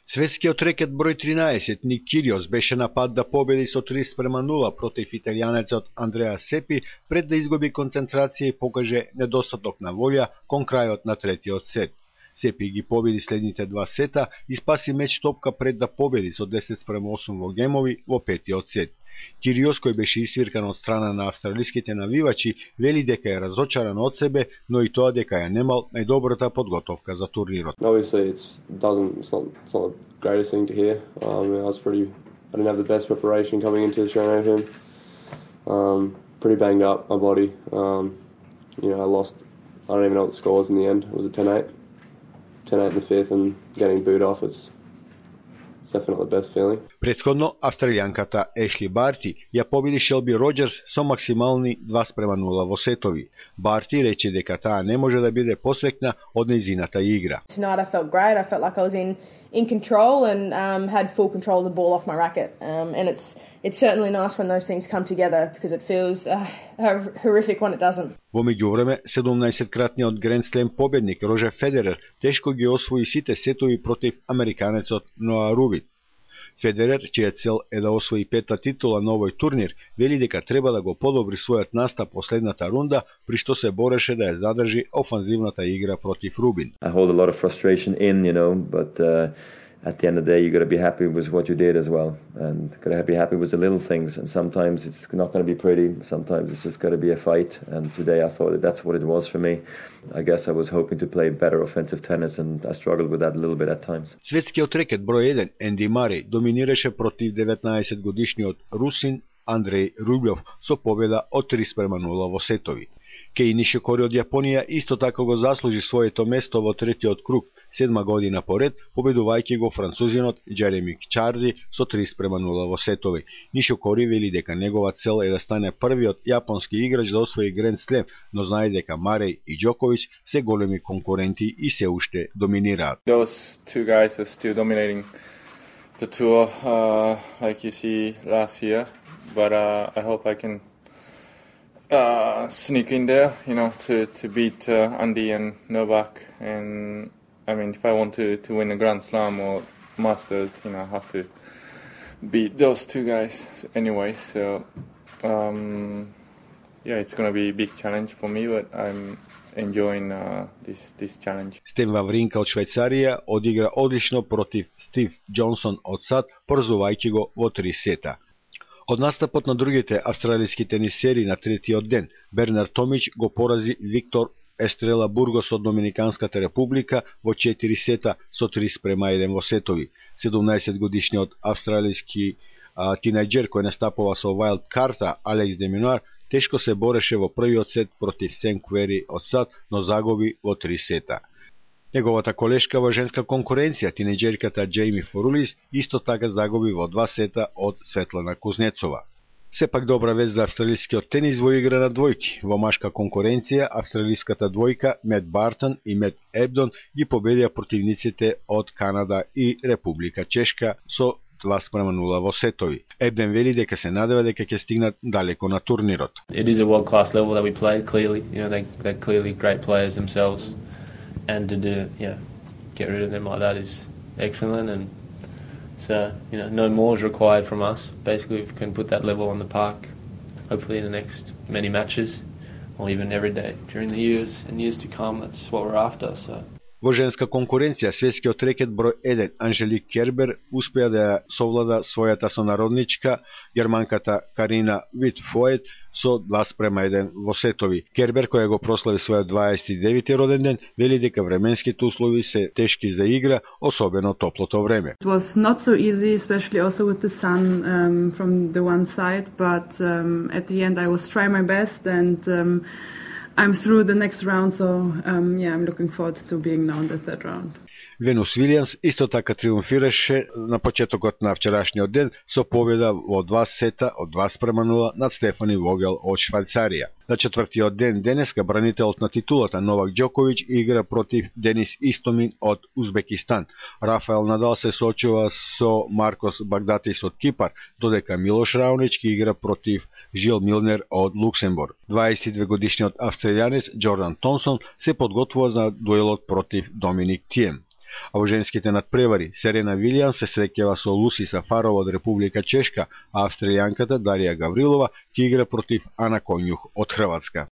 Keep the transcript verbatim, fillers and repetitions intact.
Светскиот рекет број тринаесет Ник Кириос беше на пат да победи со три спрема нула против италијанецот Андреа Сепи пред да изгуби концентрација и покаже недостаток на волја кон крајот на третиот сет. Сепи ги победи следните два сета и спаси меч топка пред да победи со десет спрема осум во гемови во петиот сет. Кириос, кој беше исвиркан од страна на австралиските навивачи, вели дека е разочаран од себе, но и тоа дека ја немал најдобрата подготовка за турнирот. Obviously, it's doesn't it's not, it's not the greatest thing to hear. Um, I was pretty, I didn't have the best preparation coming into the Australian Open. Um, pretty banged up, my body. Um, you know, I lost. I don't even know what the score was in the end. It was a ten eight, ten eight in the fifth, and getting booed off. It's definitely the best feeling. Претходно, австралијанката Ешли Барти ја победи Шелби Роџерс со максимални два спрема нула во сетови. Барти рече дека таа не може да биде посрекна од нејзината игра. Tonight I felt great. I felt like I was in in control and um, had full control of the ball off my racket. Um, and it's it's certainly nice when those things come together because it feels uh, horrific when it doesn't. Во меѓувреме, седумнаесеткратниот Гранд Слем победник Рожер Федерер тешко ги освои сите сетови против американецот Ноа Рубин. Федерер, чија цел е да освои пета титула на овој турнир, вели дека треба да го подобри својот настап последната рунда, при што се бореше да ја задржи офанзивната игра против Рубин. I hold a lot of frustration in, you know, but uh, at the end of the day you got to be happy with what you did as well, and got to be happy with the little things, and sometimes it's not going to be pretty, sometimes it's just got to be a fight, and today I thought that that's what it was for me. I guess I was hoping to play better offensive tennis and I struggled with that a little bit at times. Светскиот рекет број еден Енди Мареј доминираше против деветнаесетгодишниот русин Андреј Рублев со победа од три спрема нула во сетови. Кеј Нишикори од Јапонија исто така го заслужи своето место во третиот круг, седма година поред, победувајќи го французинот Джереми Чарди со три спрема нула во сетови. Нишикори вели дека негова цел е да стане првиот јапонски играч да освои Гранд Слем, но знае дека Мареј и Џоковиќ се големи конкуренти и се уште доминираат. Those two guys are still dominating the tour, uh, like you see last year, but uh, I hope I can uh, sneak in there, you know, to to beat uh, Andy and Novak. And I mean, if I want to to win a Grand Slam or Masters, you know, I have to beat those two guys anyway. So um, yeah, it's going to be a big challenge for me, but I'm enjoying uh, this this challenge. Стен Вавринка од Швајцарија одигра одлично против Стив Џонсон од САД, поразувајќи го во три сета. Од настапот на другите австралиски тенисери на третиот ден, Бернард Томич го порази Виктор Естрела Бургос од Доминиканската република во четири сета со три спрема еден во сетови. седумнаесетгодишниот австралиски а, тинејџер кој настапува со Вајлд карта Алекс де Минуар тешко се бореше во првиот сет против Сен Квери од САД, но загуби во три сета. Неговата колешка во женска конкуренција, тинејџерката Џејми Форулис, исто така загуби во два сета од Светлана Кузнецова. Сепак добра вест за австралискиот тенис во игра на двојки. Во машка конкуренција, австралиската двојка Мет Бартон и Мет Ебдон ги победија противниците од Канада и Република Чешка со два спрема нула во сетови. Ебден вели дека се надева дека ќе стигнат далеко на турнирот. It is a world class level that we play, clearly. You know, they they're clearly great players themselves, and to do yeah, get rid of them like that is excellent. And so, you know, no more is required from us. Basically, we can put that level on the park, hopefully in the next many matches, or even every day during the years and years to come. That's what we're after. So. Во женска конкуренција, светскиот рекет број еден Анжелик Кербер успеа да совлада својата сонародничка, германката Карина Витфоет, со два спрема еден во сетови. Кербер, која го прослави својот дваесет и девети роден ден, вели дека временските услови се тешки за игра, особено топлото време. It was not so easy, especially also with the sun um, from the one side, but um, at the end I was trying my best and um, I'm through the next round, so um, yeah, I'm looking forward to being now in the third round. Венус Вилијамс исто така триумфираше на почетокот на вчерашниот ден со победа во два сета од два спрема нула над Стефани Вогел од Швајцарија. На четвртиот ден денеска бранителот на титулата Новак Џоковиќ игра против Денис Истомин од Узбекистан. Рафаел Надал се соочува со Маркос Багдатис од Кипар, додека Милош Раонич игра против Жил Милнер од Луксембург. дваесет и две годишниот австралијанец Џордан Томсон се подготвува за дуелот против Доминик Тием. А во женските надпревари Серена Вилијамс се среќава со Луси Сафарова од Република Чешка, а австралијанката Дарија Гаврилова ќе игра против Ана Конјух од Хрватска.